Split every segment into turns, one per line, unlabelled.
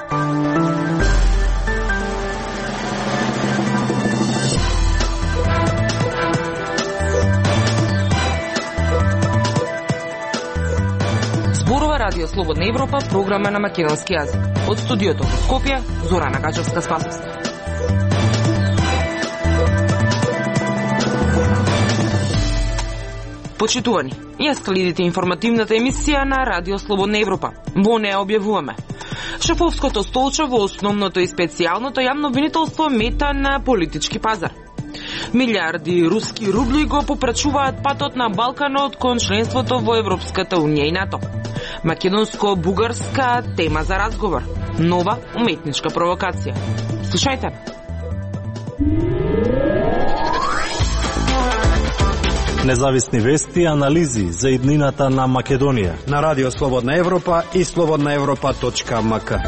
Зборува Радио Слободна Европа, програма на македонски јазик. Од студиото во Скопје, Зорана Гачевска-Спасовска. Почитувани, ја следите информативната емисија на Радио Слободна Европа. Во неја објавуваме: шефовското столче во основното и специјалното јавно обвинителство мета на политички пазар. Милиарди руски рубли го попрачуваат патот на Балканот кон членството во Европската унија и НАТО. Македонско-бугарска тема за разговор. Нова уметничка провокација. Слушајте.
Независни вести и анализи за иднината на Македонија
на Радио Слободна Европа и slobodnaevropa.mk.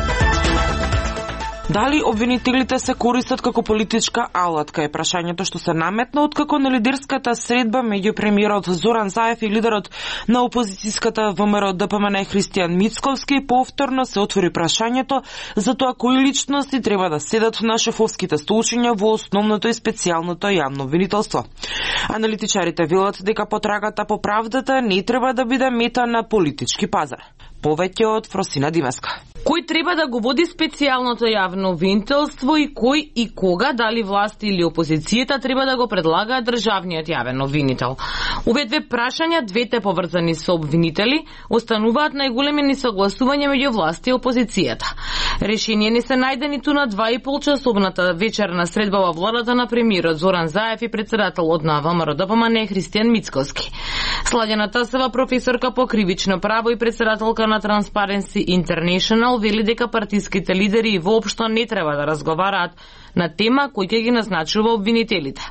Дали обвинителите се користат како политичка алатка е прашањето што се наметна откако на лидерската средба меѓу премиерот Зоран Заев и лидерот на опозицијската ВМРО ДПМН Христијан Мицковски повторно се отвори прашањето за тоа кои личности треба да седат на шефовските столчиња во основното и специјалното јавно обвинителство. Аналитичарите велат дека потрагата по правдата не треба да биде мета на политички пазар. Повеќе од Фросина Димеска. Кој треба да го води специјалното јавно обвинителство и кој и кога, дали власт или опозицијата, треба да го предлагаат државниот јавен обвинител? Овие две прашања, двете поврзани со обвинители, остануваат најголеми несогласувања меѓу власт и опозицијата. Решение не се најде ниту на 2,5-часовната вечерна средба во владата на премиерот Зоран Заев и председателот на ВМРО ДПМН Христијан Мицковски. Сладјана Тасева, професорка по кривично право и председателка на Transparency International, вели дека партиските лидери воопшто не треба да разговараат на тема кој ќе ги назначува обвинителите.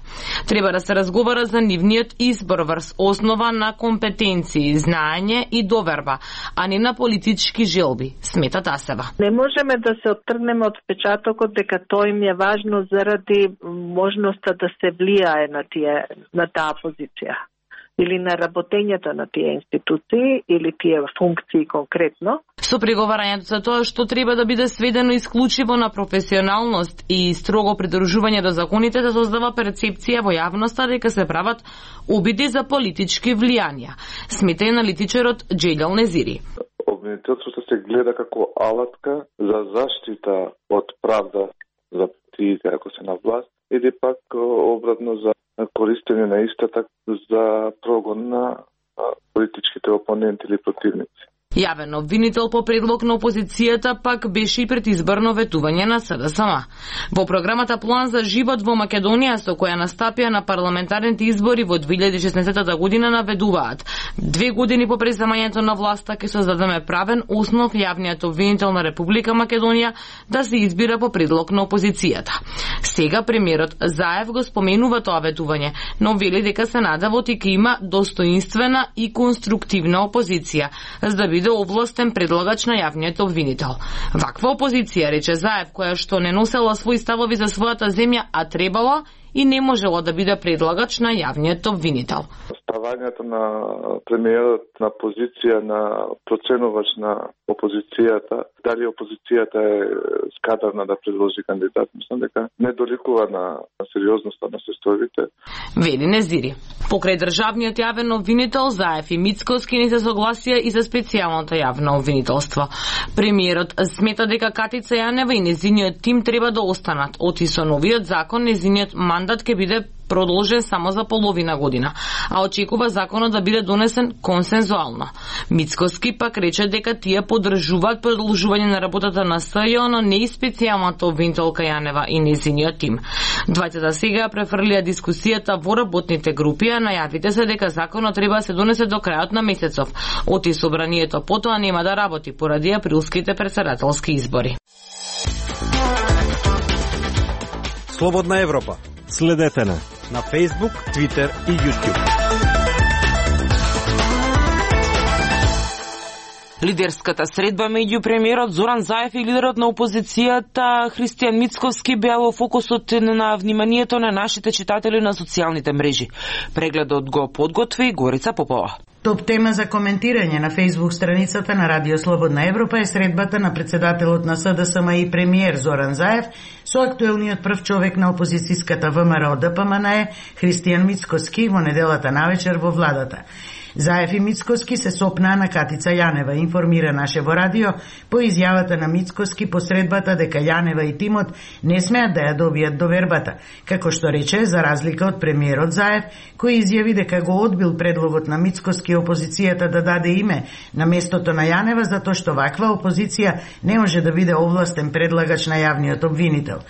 Треба да се разговара за нивниот избор врз основа на компетенции, знаење и доверба, а не на политички желби, смета Тасева.
Не можеме да се оттргнеме од впечатокот дека тоа им е важно заради можноста да се влијае на таа позиција или на работењето на тие институции или тие функции конкретно.
Со преговарањето за тоа што треба да биде сведено исклучиво на професионалност и строго придржување до законите, да создава перцепција во јавноста дека се прават обиди за политички влијанија, смета и аналитичарот Джелјал Незири.
Обвинителството се гледа како алатка за заштита од правда за партиите ако се на власт, или пак обратно за користење на истата за прогон на политичките опоненти или противници.
Јавен обвинител по предлог на опозицијата пак беше и предизборно ветување на СДСМ. Во програмата План за живот во Македонија, со која настапија на парламентарните избори во 2016 година, наведуваат: 2 години по преземањето на власта ќе создадеме правен основ јавниот обвинител на Република Македонија да се избира по предлог на опозицијата. Сега премиерот Заев го споменува тоа ветување, но вели дека се надева дека има достоинствена и конструктивна опозиција, за да биде овластен предлагач на јавниот обвинител. Ваква опозиција, рече Заев, која што не носела своји ставови за својата земја, а требала и не можела да биде предлагач на јавниот обвинител.
Ставањето на премиерот на позиција на проценувач на опозицијата, дали опозицијата е скадарна да предложи кандидат, мислам дека не доликува на сериозноста на состојбите.
Вели Незири. Покрај државниот јавен обвинител, Заев и Мицковски не се согласија и за специјалното јавно обвинителство. Премиерот смета дека Катица Јанева и незиниот тим треба да останат. Оти со новиот закон незиниот мандат ќе биде продолжен само за половина година, а очекува законот да биде донесен консензуално. Мицковски пак рече дека тие поддржуваат продолжување на работата на СЈО, но не и специјалната обвинителка Јанева и незиниот тим. Двајцата сега префрлија дискусијата во работните групи, а најавите се дека законот треба да се донесе до крајот на месецов. Оти собранието потоа нема да работи поради априлските претседателски избори.
Слободна Европа.
Следете на
Facebook, Twitter и YouTube.
Лидерската средба меѓу премиерот Зоран Заев и лидерот на опозицијата Христијан Мицковски беа во фокусот на вниманието на нашите читатели на социјалните мрежи. Прегледот го подготви Горица Попова.
Топ тема за коментирање на Facebook страницата на Радио Слободна Европа е средбата на председателот на СДСМ и премиер Зоран Заев со актуелниот прв човек на опозицијската ВМРО ДПМНЕ Христијан Мицкоски во неделата навечер во владата. Заев и Мицкоски се сопнаа на Катица Јанева, информира Нашево радио по изјавата на Мицкоски по средбата дека Јанева и тимот не смеат да ја добијат довербата, како што рече за разлика од премиерот Заев, кој изјави дека го одбил предлогот на Мицкоски опозицијата да даде име на местото на Јанева затоа што ваква опозиција не може да биде овластен предлагач на јавниот обвинител.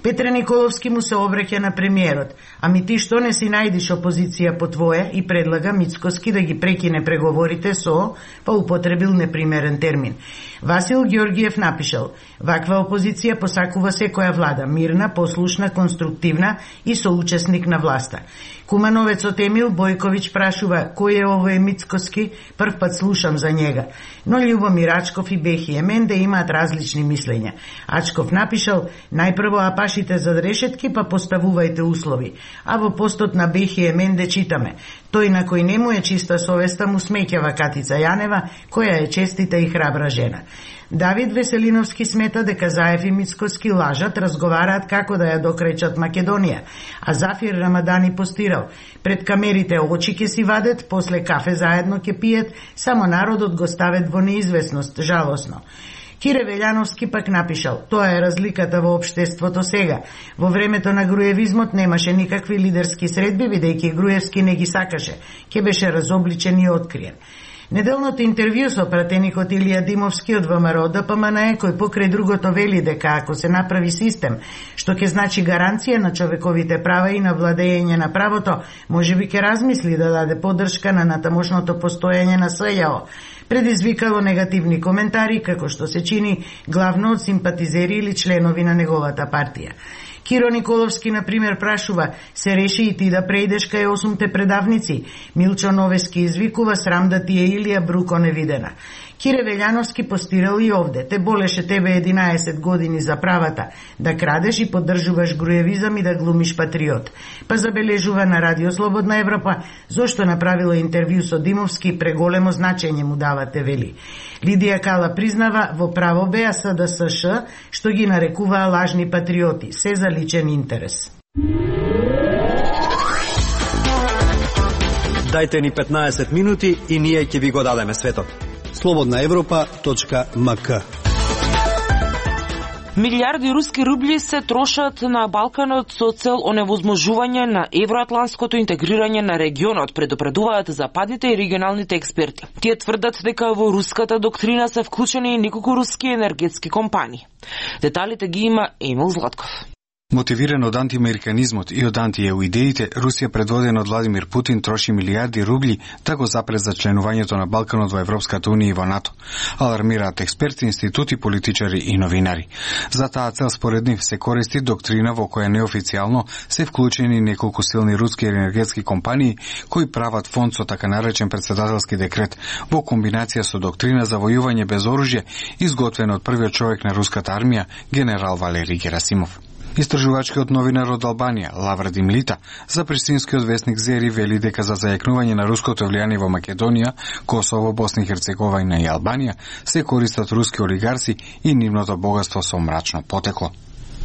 Петре Николовски му се обраќа на премиерот: "Ами ти што не си најдиш опозиција по твое?" и предлага Мицкоски да ги прекине преговорите со, па употребил непримерен термин. Васил Ѓорѓиев напишал: "Ваква опозиција посакува секоја влада, мирна, послушна, конструктивна и соучесник на власта." Кумановецот Емил Бојковиќ прашува: "Кој е овој Мицкоски? Прв пат слушам за njega." Но Љубомир Ачков и Бехи Еменде имаат различни мислења. Ачков напишал: "Најпрво апашите за решетки, па поставувајте услови." А во постот на Бехи Еменде читаме: "Тој на кој не му е чиста совеста му смеќава Катица Јанева, која е честита и храбра жена." Давид Веселиновски смета дека Заев и Мицкоски лажат, разговараат како да ја докречат Македонија, а Зафир Рамадани постирал: "Пред камерите очи ќе си вадет, после кафе заедно ќе пиет, само народот го ставет во неизвестност, жалосно." Кире Велјановски пак напишал: "Тоа е разликата во општеството сега. Во времето на груевизмот немаше никакви лидерски средби, бидејќи Груевски не ги сакаше, ќе беше разобличен и откриен." Неделното интервју со пратеникот Илија Димовски од ВМРО ДПМНЕ, кој покрај другото вели дека ако се направи систем што ќе значи гаранција на човековите права и на владење на правото, можеби ќе размисли да даде поддршка на натамошното постоење на СЈО, предизвикало негативни коментари, како што се чини главно од симпатизери или членови на неговата партија. Киро Николовски, например, прашува: "Се реши и ти да преидеш кај 8 предавници?" Милчо Новески извикува: "Срам да ти е Илија Бруко невидена." Кире Велјановски постирал и овде: "Те болеше тебе 11 години за правата, да крадеш и поддржуваш груевизам и да глумиш патриот." Па забележува на Радио Слободна Европа зошто направила интервју со Димовски, преголемо значење му давате, вели. Лидија Кала признава: "Во право беа СДСШ, што ги нарекуваа лажни патриоти, се за личен интерес."
Дајте ни 15 минути и ние ќе ви го дадеме светот. slobodnaevropa.mk.
Милиарди руски рубли се трошат на Балканот со цел оневозможување на евроатлантското интегрирање на регионот, предупредуваат западните и регионалните експерти. Тие тврдат дека во руската доктрина се вклучени и неколку руски енергетски компании. Деталите ги има Емил Златков.
Мотивиран од антиамериканизмот и од антиеуидеите, Русија предводена од Владимир Путин троши милиарди рубли да го запре за членувањето на Балканот во Европската унија и во НАТО. Алармираат експерти, институти, политичари и новинари. За таа цел според нив се користи доктрина во која неофицијално се вклучени неколку силни руски енергетски компании кои прават фонд со така наречен председателски декрет во комбинација со доктрина за војување без оружје изготвена од првиот човек на руската армија, генерал Валерий Герасимов. Истражувачкиот новинар од Албанија, Лаврадим Лита, за пристинскиот весник Зери вели дека за зајакнување на руското влијание во Македонија, Косово, Босна и Херцеговина и Албанија се користат руски олигарси и нивното богатство со мрачно потекло.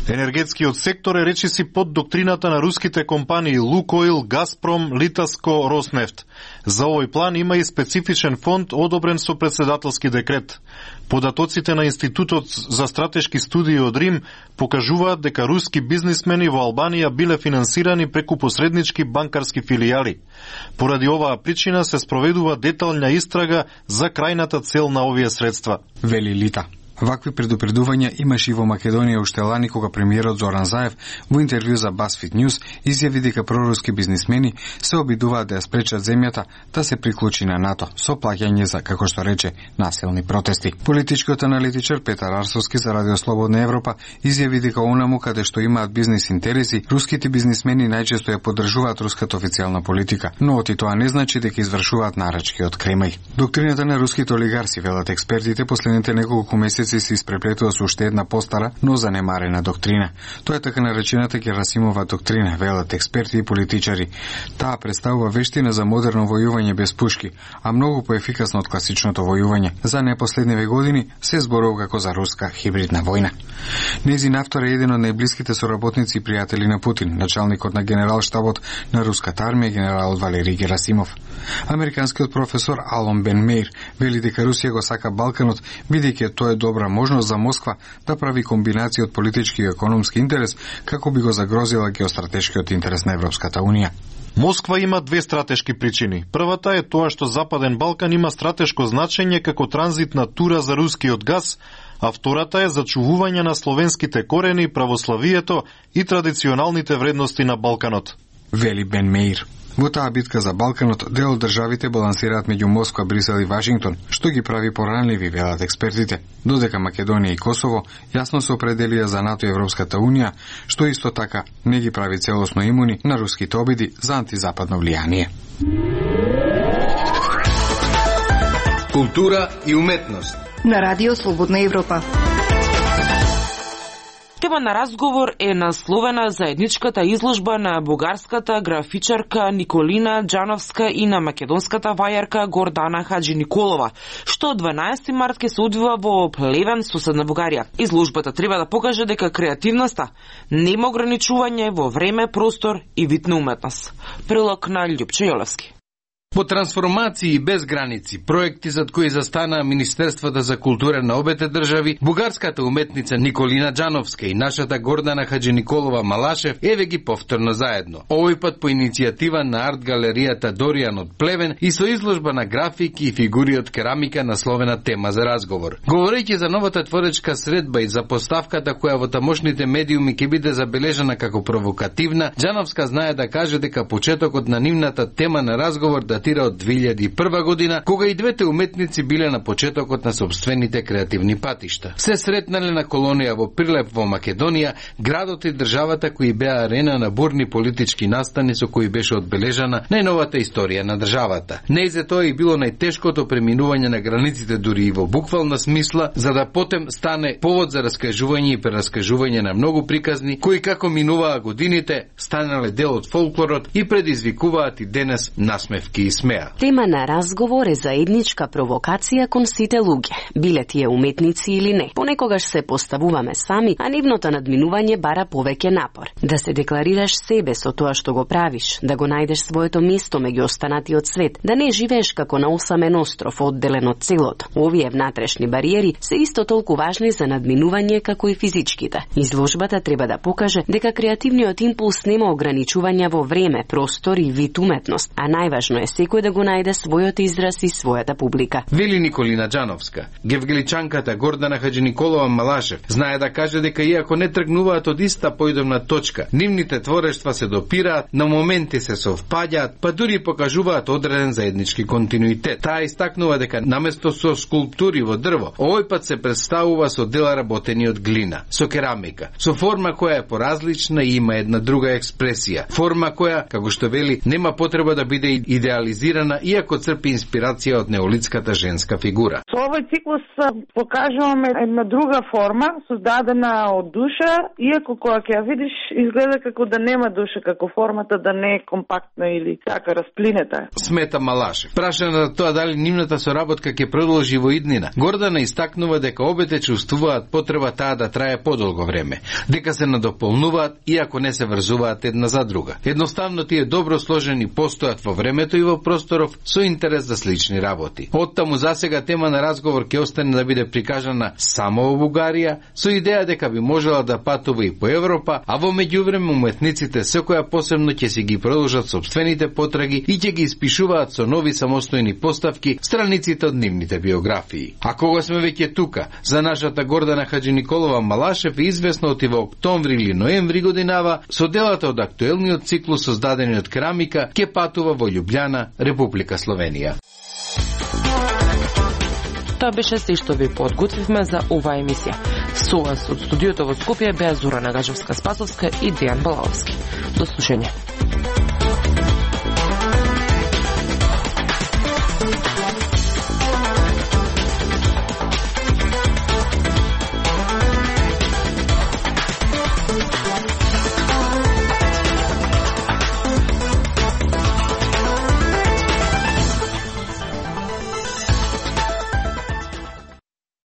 Енергетскиот сектор е речиси под доктрината на руските компании Лукойл, Газпром, Литаско, Роснефт. За овој план има и специфичен фонд одобрен со председателски декрет. Податоците на Институтот за стратешки студии од Рим покажуваат дека руски бизнисмени во Албанија биле финансирани преку посреднички банкарски филијали. Поради оваа причина се спроведува детална истрага за крајната цел на овие средства,
вели Лита. Вакви предупредувања имаше и во Македонија уште лани кога премиерот Зоран Заев во интервју за BuzzFeed News изјави дека проруски бизнисмени се обидуваат да ја спречат земјата да се приклучи на НАТО со плаќање за, како што рече, насилни протести. Политичкиот аналитичар Петар Арсовски за Радио Слободна Европа изјави дека онаму каде што имаат бизнис интереси, руските бизнисмени најчесто ја поддржуваат руската официјална политика, но оти тоа не значи дека извршуваат нарачки од Кремљ. Доктрината на руските олигарси, велат експертите, последните неколку месеци символици се испреплетува со уште една постара, но занемарена доктрина. Тоа е така наречената Герасимова доктрина, велат експерти и политичари. Таа представува вештина за модерно војување без пушки, а многу поефикасно од класичното војување. За непоследниве години се зборува како за руска хибридна војна. Нејзин автор е еден од најблиските соработници и пријатели на Путин, началникот на генералштабот на руската армија генерал Валерий Герасимов. Американскиот професор Алон Бен Меир вели дека Русија го сака Балканот, бидејќи тоа е добра можност за Москва да прави комбинација од политички и економски интерес, како би го загрозила геостратешкиот интерес на Европската Унија.
Москва има две стратешки причини. Првата е тоа што Западен Балкан има стратешко значење како транзитна тура за рускиот газ, а втората е зачувување на словенските корени, православието и традиционалните вредности на Балканот.
Вели Бен Меир. Во таа битка за Балканот, дел од државите балансираат меѓу Москва, Брисел и Вашингтон, што ги прави поранливи, велат експертите. Додека Македонија и Косово јасно се определија за НАТО и Европската Унија, што исто така не ги прави целосно имуни на руските обиди за антизападно влијание.
Култура и уметност
на Радио Слободна Европа.
Тема на разговор е насловена заедничката изложба на бугарската графичарка Николина Џановска и на македонската вајарка Гордана Хаджи Николова, што од 12 март ке се одвива во Плевен, соседна Бугарија. Изложбата треба да покаже дека креативноста нема ограничување во време, простор и вид на уметност. Прилог на Љупчо Јолевски.
По трансформации и без граници, проекти зад кои застанаа Министерствата за култура на обете држави, бугарската уметница Николина Џановска и нашата Гордана Хаджи Николова Малашев еве ги повторно заедно. Овој пат по иницијатива на арт галеријата Доријан од Плевен и со изложба на графики и фигури од керамика насловена тема за разговор. Говорејќи за новата творечка средба и за поставката која во тамошните медиуми ќе биде забележана како провокативна, Џановска знае да каже дека почетокот на нивната тема на разговор датира од 2001 година, кога и двете уметници биле на почетокот на собствените креативни патишта. Се сретнале на колонија во Прилеп во Македонија, градот и државата кои беа арена на бурни политички настани со кои беше одбележана најновата историја на државата. Не за тоа и било најтешкото преминување на границите дури и во буквална смисла, за да потем стане повод за раскажување и прераскажување на многу приказни кои како минуваа годините станале дел од фолклорот и предизвикуваат и денес насмевки и смеа.
Тема на разговор е заедничка провокација кон сите луѓе, биле тие уметници или не. Понекогаш се поставуваме сами, а нивното надминување бара повеќе напор. Да се декларираш себе со тоа што го правиш, да го најдеш своето место меѓу останатиот свет, да не живееш како на осамен остров одделен од целото. Овие внатрешни бариери се исто толку важни за надминување како и физичките. Изложбата треба да покаже дека креативниот импулс нема ограничувања во време, простор и вид уметност, а најважно е секој да го најде својот израз и својата публика.
Вели Николина Џановска. Гевгеличанката Гордана Хаджи Николова Малашев знае да каже дека иако не тргнуваат од иста појдовна точка, нивните творештва се допираат, на моменти се совпаѓаат, па дури покажуваат одреден заеднички континуитет. Таа истакнува дека наместо со скулптури во дрво, овој пат се представува со дела работени од глина, со керамика, со форма која е поразлична и има една друга експресија. Форма која, како што вели, нема потреба да биде идеализирана, иако црпи инспирација од неолитската женска фигура.
Со овој циклус покажуваме една друга форма, создадена од душа, иако кога ќе ја видиш, изгледа како да нема душа, како формата да не е компактна или така расплинета.
Смета Малашев. Прашана за тоа дали нивната соработка ќе продолжи во иднина, Гордана истакнува дека обете чувствуваат потреба таа да трае подолго време, дека се надополнуваат, иако не се врзуваат една за друга. Едноставно тие добро сложени постојат во времето и во просторов со интерес за слични работи. Оттаму засега тема на разговор ќе остане да биде прикажана само во Бугарија, со идеја дека би можела да патува и по Европа, а во меѓувреме уметниците секоја посебно ќе си ги продолжат сопствените потраги и ќе ги испишуваат со нови самостојни поставки страниците од нивните биографии. А кога сме веќе тука, за нашата Гордана Хаджи Николова Малашев е известно оти во октомври или ноември годинава со делата од актуелниот циклус создадени од керамика ќе патува во Љубљана, Република Словенија.
Тоа беше се што ви подготвивме за оваа емисија. Со вас од студиото во Скопје беа Зорана Гажевска-Спасовска и Дејан Балаовски. До слушање.